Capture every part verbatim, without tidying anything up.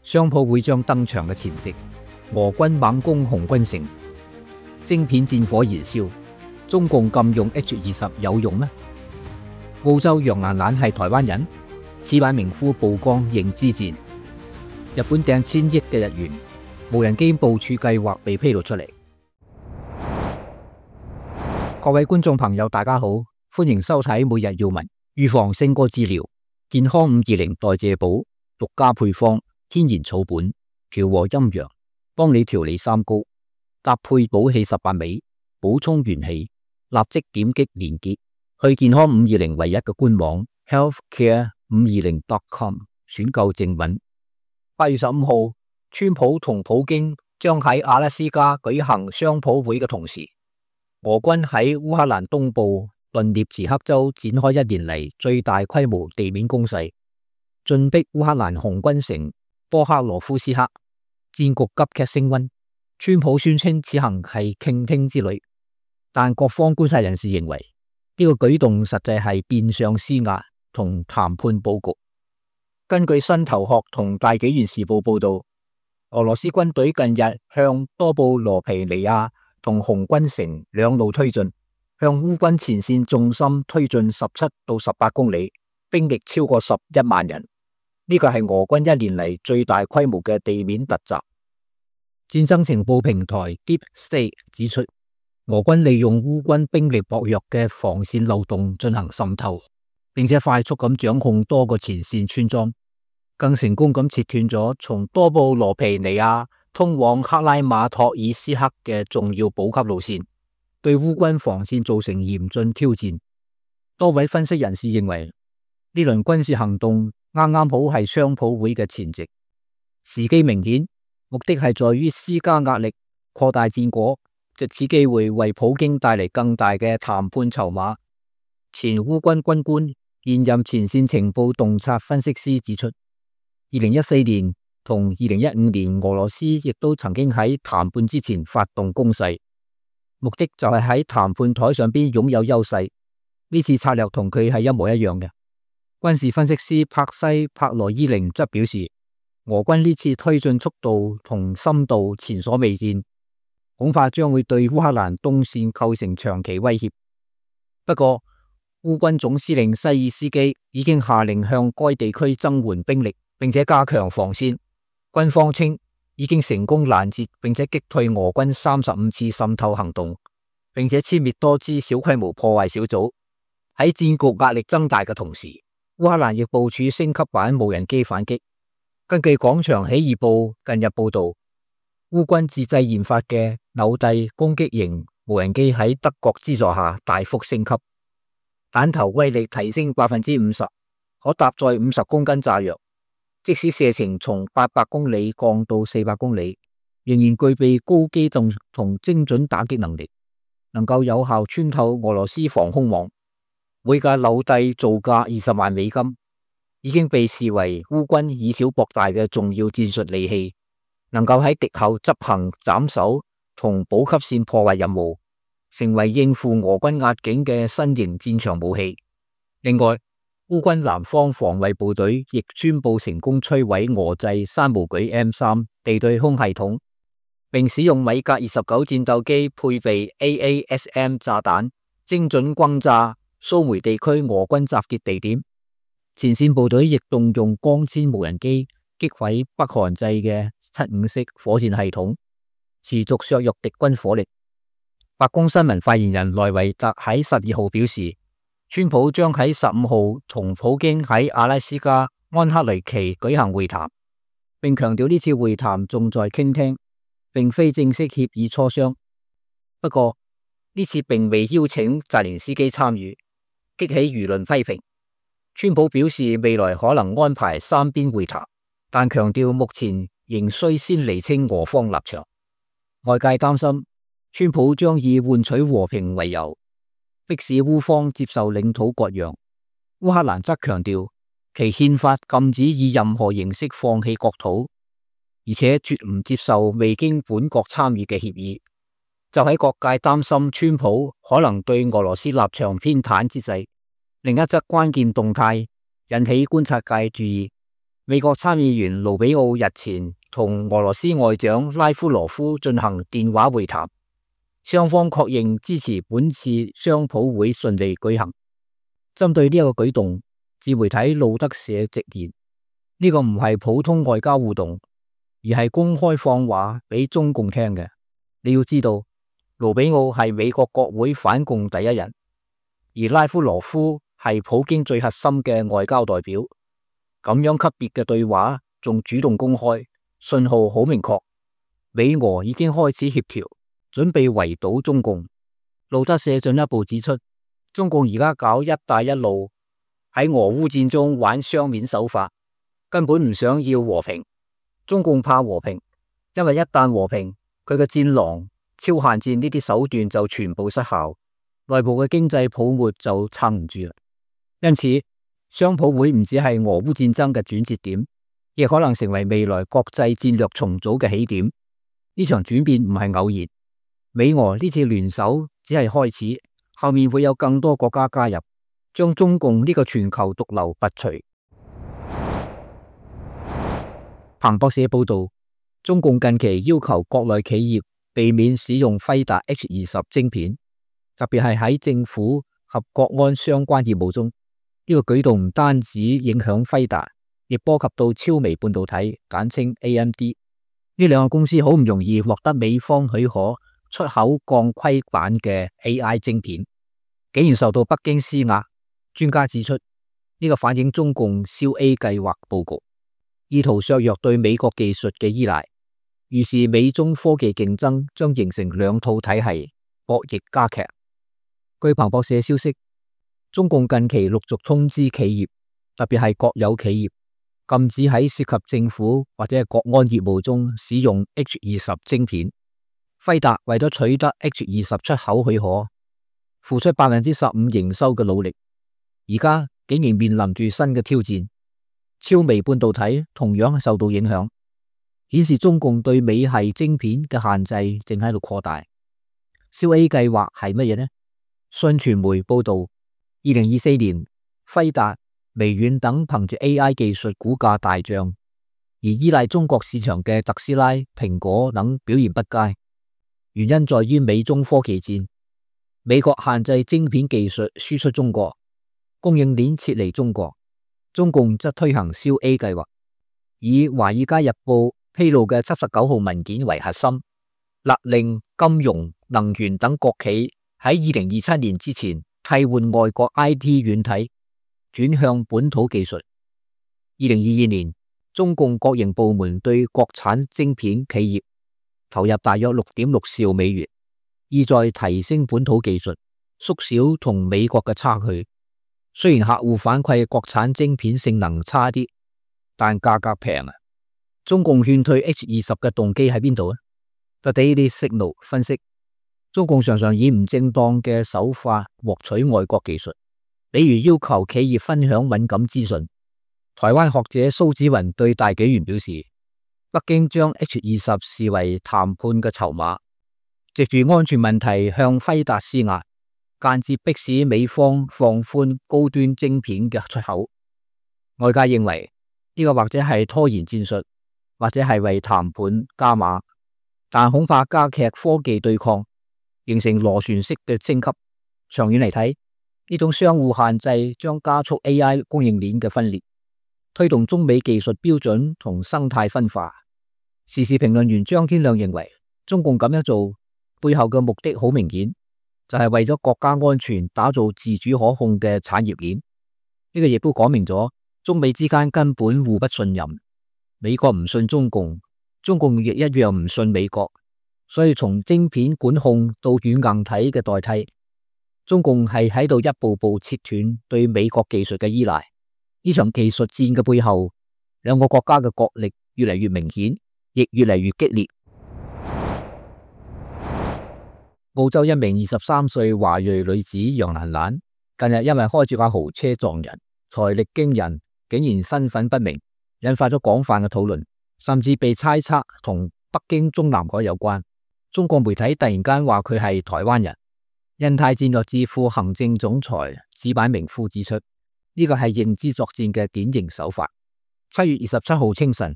商鋪會將登場嘅前夕，俄軍猛攻紅軍城，晶片戰火燃燒，中共禁用 H 二十有用咩？澳洲楊蘭蘭係台灣人，此版名夫曝光認知戰，日本掟千億嘅日元，無人機部署計劃被披露出嚟。各位觀眾朋友，大家好，歡迎收睇每日要聞。預防勝過治療，健康五二零代謝寶，獨家配方，天然草本，調和陰陽，幫你調理三高，搭配補氣十八味，補充元氣。立即點擊連結去健康五二零唯一嘅官網 healthcare 五二零 dot com 選購正品。八月十五號，川普同普京將喺阿拉斯加舉行雙普會嘅同時，俄軍喺烏克蘭東部頓涅茨克州展開一年嚟最大規模地面攻勢，進逼烏克蘭紅軍城波克羅夫斯克，戰局急劇升溫。川普宣稱此行係傾聽之旅，但各方觀察人士認為呢個舉動實際係變相施壓同談判佈局。根據新頭殼同大紀元時報報道，俄羅斯軍隊近日向多布羅皮尼亞同紅軍城兩路推進，向烏軍前線重心推進十七到十八公里，兵力超過十一萬人。呢個係俄軍一年嚟最大規模嘅地面突襲。戰爭情報平台 Deep State 指出，俄軍利用烏軍兵力薄弱嘅防線漏洞進行滲透，並且快速咁掌控多個前線村莊，更成功咁切斷咗從多布羅皮尼亞通往克拉馬托爾斯克嘅重要補給路線，對烏軍防線造成嚴峻挑戰。多位分析人士認為，呢輪軍事行動啱啱好係雙普會嘅前夕，時機明顯，目的係在於施加壓力，擴大戰果，藉此機會為普京帶嚟更大嘅談判籌碼。前烏軍軍官、現任前線情報洞察分析師指出，二零一四年同二零一五年俄羅斯亦都曾經喺談判之前發動攻勢，目的就係喺談判台上邊擁有優勢。呢次策略同佢係一模一樣嘅。軍事分析師帕西帕羅伊寧則表示，俄軍呢次推進速度同深度前所未見，恐怕將會對烏克蘭東線構成長期威脅。不過，烏軍總司令西爾斯基已經下令向該地區增援兵力，並且加強防線。軍方稱已經成功攔截並且擊退俄軍三十五次滲透行動，並且殲滅多支小規模破壞小組。喺戰局壓力增大嘅同時，烏克蘭亦部署升級版無人機反擊。根據廣場起義報近日報道，烏軍自製研發嘅紐蒂攻擊型無人機喺德國資助下大幅升級，彈頭威力提升百分之五十，可搭載五十公斤炸藥，即使射程從八百公里降到四百公里，仍然具備高機動同精準打擊能力，能夠有效穿透俄羅斯防空網。每架紐蒂造價二十萬美金，已經被視為烏軍以小博大嘅重要戰術利器，能夠喺敵後執行斬首同補給線破壞任務，成為應付俄軍壓境嘅新型戰場武器。另外，烏軍南方防衛部隊亦宣布成功摧毀俄製山毛舉 M 三 地對空系統，並使用米格二十九戰鬥機配備 A A S M 炸彈，精準轟炸蘇梅地區俄軍集結地點。前線部隊亦動用光纖無人機擊毀北韓製嘅七五式火箭系統，持續削弱敵軍火力。白宮新聞發言人萊維特喺十二號表示，川普將喺十五號同普京喺阿拉斯加安克雷奇舉行會談，並強調呢次會談重在傾聽，並非正式協議磋商。不過呢次並未邀請澤連斯基參與，激起輿論批評。川普表示未來可能安排三邊會談，但強調目前仍需先釐清俄方立場。外界擔心川普將以換取和平為由，迫使烏方接受領土割讓。烏克蘭則強調其憲法禁止以任何形式放棄國土，而且絕唔接受未經本國參與嘅協議。就喺各界擔心川普可能對俄羅斯立場偏袒之際，另一則關鍵動態引起觀察界注意。美國參議員盧比奧日前同俄羅斯外長拉夫羅夫進行電話會談，雙方確認支持本次商討會順利舉行。針對呢一個舉動，自媒體路德社直言，呢、這個唔係普通外交互動，而係公開放話俾中共聽嘅。你要知道，盧比奧係美國國會反共第一人，而拉夫羅夫係普京最核心嘅外交代表。咁樣級別嘅對話仲主動公開，信號好明確，美俄已經開始協調，準備圍堵中共。路德社進一步指出，中共而家搞一帶一路，喺俄烏戰中玩雙面手法，根本唔想要和平。中共怕和平，因為一旦和平，佢嘅戰狼、超限戰呢啲手段就全部失效，內部嘅經濟泡沫就撐唔住啦。因此，商討會唔只係俄烏戰爭嘅轉折點，亦可能成為未來國際戰略重組嘅起點。呢場轉變唔係偶然，美俄呢次聯手只係開始，後面會有更多國家加入，將中共呢個全球毒瘤拔除。彭博社報道，中共近期要求國內企業避免使用輝達 H 二十晶片，特別係喺政府及國安相關業務中。呢個舉動唔單止影響輝達，亦波及到超微半導體，簡稱 A M D。呢兩個公司好唔容易獲得美方許可出口降規版嘅 A I 晶片，竟然受到北京施壓。專家指出，呢、這個反映中共燒 A 計劃佈局，意圖削弱對美國技術嘅依賴。於是美中科技競爭將形成兩套體系，博弈加劇。據彭博社消息，中共近期陸續通知企業，特別係國有企業，禁止喺涉及政府或者係國安業務中使用 H 二十晶片。輝達為咗取得 H 二十出口許可，付出百分之十五營收嘅努力，而家竟然面臨住新嘅挑戰。超微半導體同樣受到影響，顯示中共對美系晶片嘅限制正喺度擴大。燒 A 計劃係乜嘢呢？信傳媒報道，二零二四年輝達、微軟等憑住 A I 技術股價大漲，而依賴中國市場嘅特斯拉、蘋果等表現不佳。原因在於美中科技戰，美國限制晶片技術輸出中國，供應鏈撤離中國，中共則推行燒 A 計劃，以華爾街日報披露嘅七十九號文件為核心，勒令金融、能源等國企喺二零二七年之前替換外國 I T 軟體，轉向本土技術。二零二二年，中共國營部門對國產晶片企業投入大約六點六兆美元，意在提升本土技術，縮小同美國嘅差距。雖然客戶反饋國產晶片性能差啲，但價格平啊！中共勸退 H 二十嘅動機喺邊度啊？ The Daily Signal 分析，中共常常以唔正當嘅手法獲取外國技術，比如要求企業分享敏感資訊。台灣學者蘇紫雲對大紀元表示，北京將 H 二十視為談判嘅籌碼，藉住安全問題向輝達施壓，間接迫使美方放寬高端晶片嘅出口。外界認為呢個或者係拖延戰術，或者係為談判加碼，但恐怕加劇科技對抗，形成螺旋式嘅升級。長遠嚟睇，呢種相互限制將加速 A I 供應鏈嘅分裂，推動中美技術標準同生態分化。時事評論員張天亮認為，中共咁樣做背後嘅目的好明顯，就係為咗國家安全打造自主可控嘅產業鏈。呢個亦都講明咗中美之間根本互不信任，美國唔信中共，中共亦一樣唔信美國。所以從晶片管控到軟硬體嘅代替，中共係喺度一步步切斷對美國技術嘅依賴。呢場技術戰嘅背後，兩個國家嘅角力越嚟越明顯，亦越嚟越激烈。澳洲一名二十三歲華裔女子楊蘭蘭，近日因為開住架豪車撞人，財力驚人，竟然身份不明，引發咗廣泛嘅討論，甚至被猜測同北京中南海有關。中國媒體突然間話佢係台灣人。印太戰略智庫行政總裁矢板明夫指出，呢個係認知作戰嘅典型手法。七月二十七號清晨，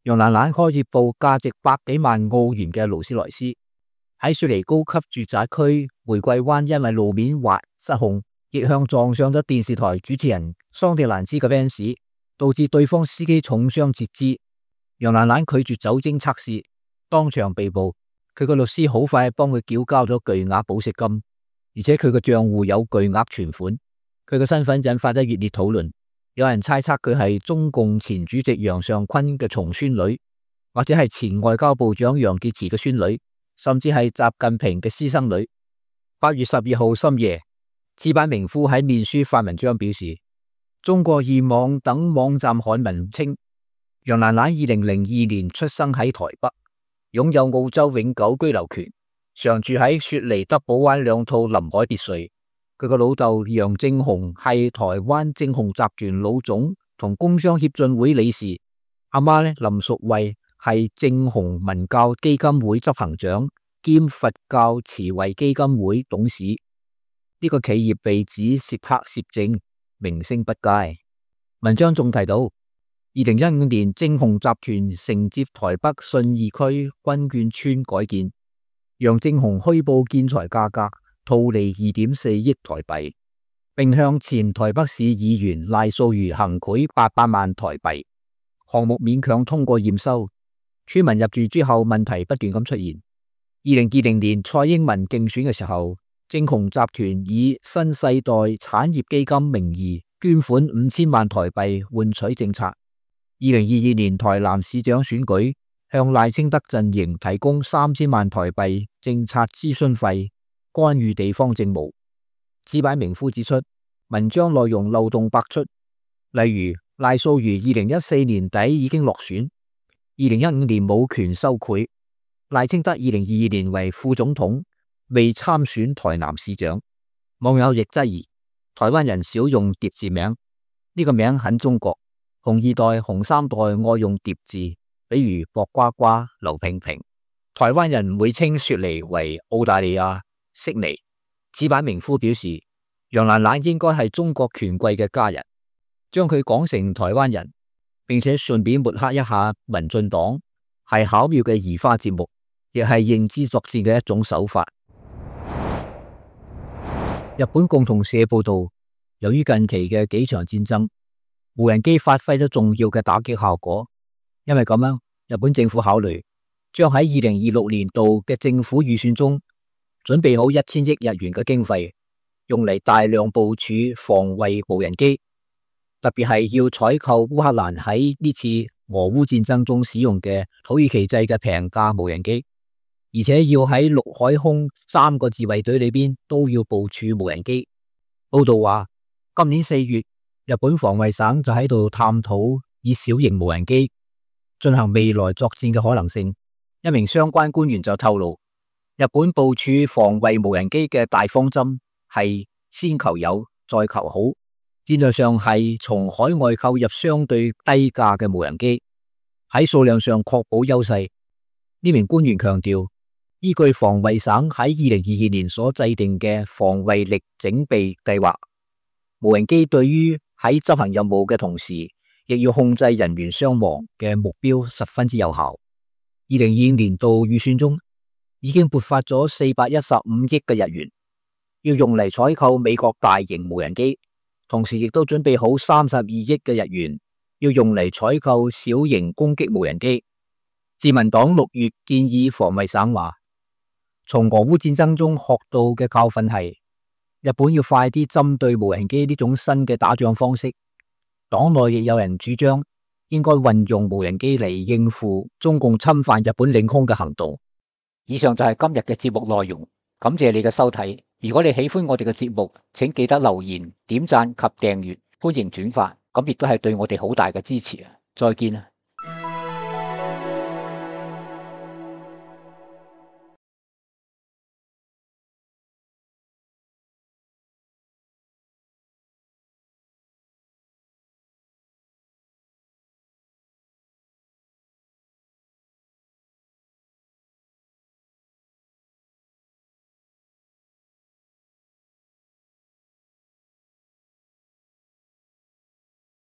楊蘭蘭開住部價值百幾萬澳元嘅勞斯萊斯，喺雪梨高級住宅區玫瑰灣，因為路面滑失控，逆向撞上咗電視台主持人桑迪蘭斯嘅 Benz， 導致對方司機重傷截肢。楊蘭蘭拒絕酒精測試，當場被捕。佢個律師好快幫佢繳交咗巨額保釋金，而且佢個賬戶有巨額存款。佢嘅身份引發咗熱烈討論，有人猜測佢係中共前主席楊尚昆嘅重孫女，或者係前外交部長楊潔篪嘅孫女，甚至係習近平嘅私生女。八月十二號深夜，資版名夫喺面書發文章表示，中國易網等網站刊文稱，楊蘭蘭二零零二年出生喺台北，擁有澳洲永久居留權，常住喺雪梨德寶灣兩套臨海別墅。佢個老豆楊正雄係台灣正雄集團老總同工商協進會理事，阿媽呢林淑慧係正雄文教基金會執行長兼佛教慈惠基金會董事。呢、這個企業被指涉黑涉證，名聲不佳。文章仲提到，二零一五年正雄集團承接台北信義區軍眷村改建，楊正雄虛報建材價格，套利二點四億台幣，並向前台北市議員賴素如行賄八百萬台幣。項目勉強通過驗收，村民入住之後問題不斷咁出現。二零二零年蔡英文競選嘅時候，正雄集團以新世代產業基金名義捐款五千萬台幣換取政策。二零二二年台南市長選舉，向賴清德陣營提供三千萬台幣政策諮詢費，干預地方政務。資版名夫指出，文章內容漏洞百出，例如賴素如二零一四年底已經落選，二零一五年冇權收賄，賴清德二零二二年為副總統，未參選台南市長。網友亦質疑台灣人少用疊字名，呢、這個名很中國，紅二代、紅三代愛用疊字，比如薄瓜瓜、劉平平。台灣人唔會稱雪梨為澳大利亞悉尼。資版名夫表示，楊蘭蘭應該係中國權貴嘅家人，將佢講成台灣人，並且順便抹黑一下民進黨，係巧妙嘅移花接木，亦係認知作戰嘅一種手法。日本共同社報道，由於近期嘅幾場戰爭，無人機發揮咗重要嘅打擊效果，因為咁樣，日本政府考慮將喺二零二六年度嘅政府預算中準備好一千億日元嘅經費，用嚟大量部署防衛無人機，特別係要採購烏克蘭喺呢次俄烏戰爭中使用嘅土耳其製嘅平價無人機，而且要喺陸海空三個自衛隊裏邊都要部署無人機。報道話，今年四月，日本防衛省就喺度探討以小型無人機進行未來作戰嘅可能性。一名相關官員就透露，日本部署防衛無人機嘅大方針係先求有，再求好。戰略上係從海外購入相對低價嘅無人機，喺數量上確保優勢。呢名官員強調，依據防衛省喺二零二二年所制定嘅防衛力整備計劃，無人機對於喺執行任務嘅同時，亦要控制人員傷亡嘅目標十分之有效。二零二五年度預算中已經撥發咗四百一十五億嘅日元，要用嚟採購美國大型無人機，同時亦都準備好三十二億嘅日元，要用嚟採購小型攻擊無人機。自民黨六月建議防衛省話，從俄烏戰爭中學到嘅教訓係，日本要快啲針對無人機呢種新嘅打仗方式。黨內亦有人主張應該運用無人機嚟應付中共侵犯日本領空嘅行動。以上就係今日嘅節目內容，感謝你嘅收睇。如果你喜歡我哋嘅節目，請記得留言、點讚及訂閱，歡迎轉發，咁亦都係對我哋好大嘅支持啊！再見啊！